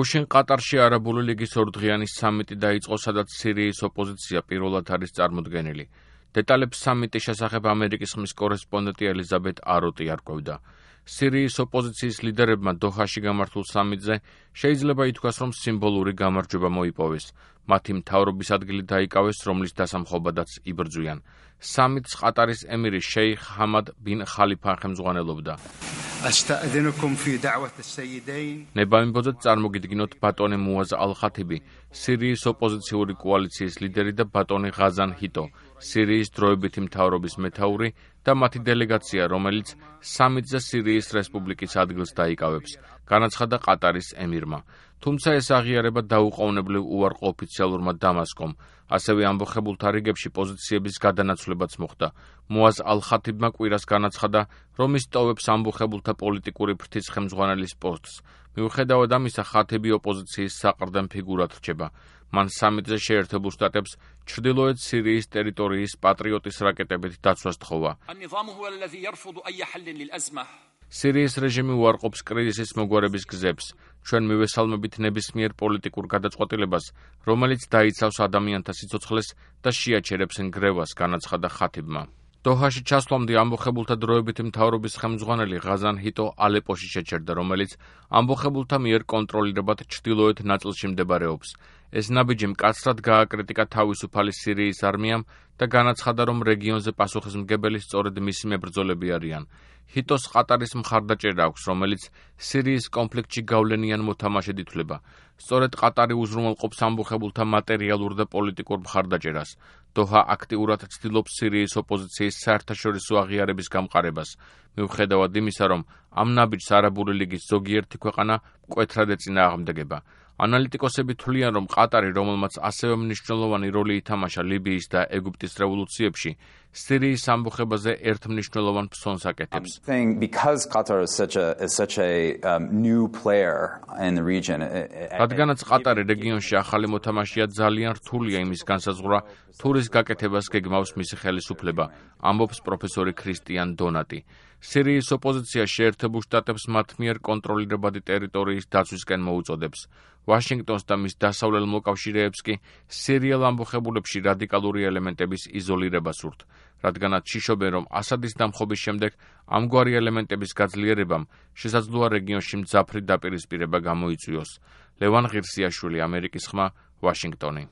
გუშინ ყატარში არაბული ლიგის ორდღიანი სამიტი დაიწყო, სადაც სირიის ოპოზიცია პირველად არის წარმოდგენილი. დეტალებს სამიტის შესახებ ამერიკის ხმის კორესპონდენტი ელიზაბეთ აროტი არკვევდა. სირიის ოპოზიციის ლიდერებმა დოჰაში გამართულ სამიტზე შეიძლება ითქვას, რომ სიმბოლური გამარჯვება მოიპოვეს. მათი მთავრობის ადგილი დაიკავეს, რომლის დასამხობადაც იბრძვიან. სამიტს ყატარის ემირი შეიხ ჰამად ბინ ხალიფა ხელმძღვანელობდა. ნებავებოდეთ წარმოგიდგინოთ ბატონი მუაზ ალ-ხათიბი, სირიის ოპოზიციური კოალიციის ლიდერი და ბატონი ღაზან ჰიტო, სირიის დროებითი მთავრობის მეთაური და მათი დელეგაცია, რომელიც სამიტზე სირიის რესპუბლიკის ადგილს დაიკავებს, განაცხადა ყატარის ემირმა. თუმცა ეს აღიარება დაუყოვნებლივ უარყო ოფიციალურმა დამასკომ, ასევე ამბოხებულთა რიგებში პოზიციების გადანაცვლებაც მოხდა. მუაზ ალ-ხათიბმა კვირას განაცხადა, რომ ის ტოვებს ამბოხებულთა პოლიტიკური ფრთის ხელმძღვანელის პოსტს. მიუხედავად ამისა, ხათიბი ოპოზიციის საყრდენ ფიგურად რჩება. მან სამიტზე შეერთებულ შტატებს ჩრდილოეთ სირიის ტერიტორიის პატრიოტის რაკეტებით დაცვას თხოვა. სირიის რეჟიმი უარყოფს კრიზისის მოგვარების გზებს. ჩვენ მივესალმებით ნებისმიერ პოლიტიკურ გადაწყვეტილებას, რომელიც დაიცავს ადამიანთა სიცოცხლეს და შეაჩერებს ნგრევას, განაცხადა ხათიბმა. დოჰაში ჩასვლამდე ამბოხებულთა დროებითი მთავრობის ხელმძღვანელი ღაზან ჰიტო ალეპოში შეჩერდა, რომელიც ამბოხებულთა მიერ კონტროლირებად ჩრდილოეთ ნაწილში მდებარეობს. ეს ნაბიჯი მკაცრად გააკრიტიკა თავისუფალი სირიის არმიამ და განაცხადა, რომ რეგიონზე პასუხისმგებელი სწორედ მისი მებრძოლები არიან. ჰიტოს ყატარის მხარდაჭერა აქვს, რომელიც სირიის კონფლიქტში გავლენიან მოთამაშედ ითვლება. სწორედ ყატარი უზრუნველყოფს ამბოხებულთა მატერიალურ და პოლიტიკურ მხარდაჭერას. დოჰა აქტიურად ცდილობს სირიის ოპოზიციის საერთაშორისო აღიარების გამყარებას, მიუხედავად იმისა, რომ ამ ნაბიჯს არაბული ლიგის ზოგიერთი ქვეყანა მკვეთრად ეწინააღმდეგება. ანალიტიკოსები თვლიან, რომ ყატარი, რომელმაც ასევე მნიშვნელოვანი როლი ითამაშა ლიბიის და ეგვიპტის რევოლუციებში, სირიის ამბოხებაზე ერთ მნიშვნელოვან ფსონს აკეთებს. რადგანაც ყატარი რეგიონში ახალი მოთამაშეა, ძალიან რთულია იმის განსაზღვრა, თუ რის გაკეთებას გეგმავს მისი ხელისუფლება, ამბობს პროფესორი ქრისტიან დონატი. სირიის ოპოზიცია შეერთებულ შტატებს მათ მიერ კონტროლირებადი ტერიტორიის დაცვისკენ მოუწოდებს. ვაშინგტონს და მის დასავლელ მოკავშირეებს კი სირიელ ამბოხებულებში რადიკალური ელემენტების იზოლირება სურთ, რადგანაც შიშობენ, რომ ასადის დამხობის შემდეგ ამგვარი ელემენტების გაძლიერებამ შესაძლოა რეგიონში მძაფრი დაპირისპირება გამოიწვიოს. ლევან ღირსიაშვილი, ამერიკის ხმა, ვაშინგტონი.